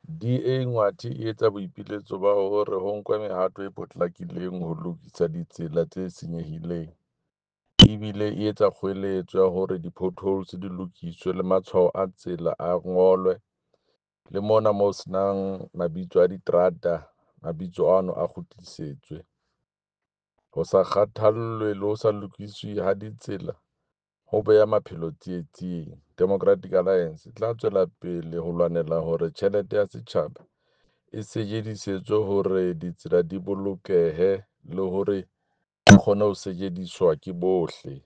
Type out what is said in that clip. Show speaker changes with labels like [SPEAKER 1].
[SPEAKER 1] DA Ngwathe e etsa boipiletso ba hore ho nkwe mehato e potlakileng ho lokisa ditsela tse senyehileng, ebile e etsa kgoeletso ya hore di-potholes di lokiswe le matshwao a tsela a ngolwe. Le mona mo senang mabitso a diterata, mabitso ano a kgutlisetswe. Ho sa kgathallwe le ho sa lokiswe ha ditsela ho beha maphelo tsietsing. Democratic Alliance e tla tswela pele ho lwanela hore tjhelete ya setjhaba e sejedisetswe hore ditsela di bolokehe le hore di kgone ho sejediswa ke bohle.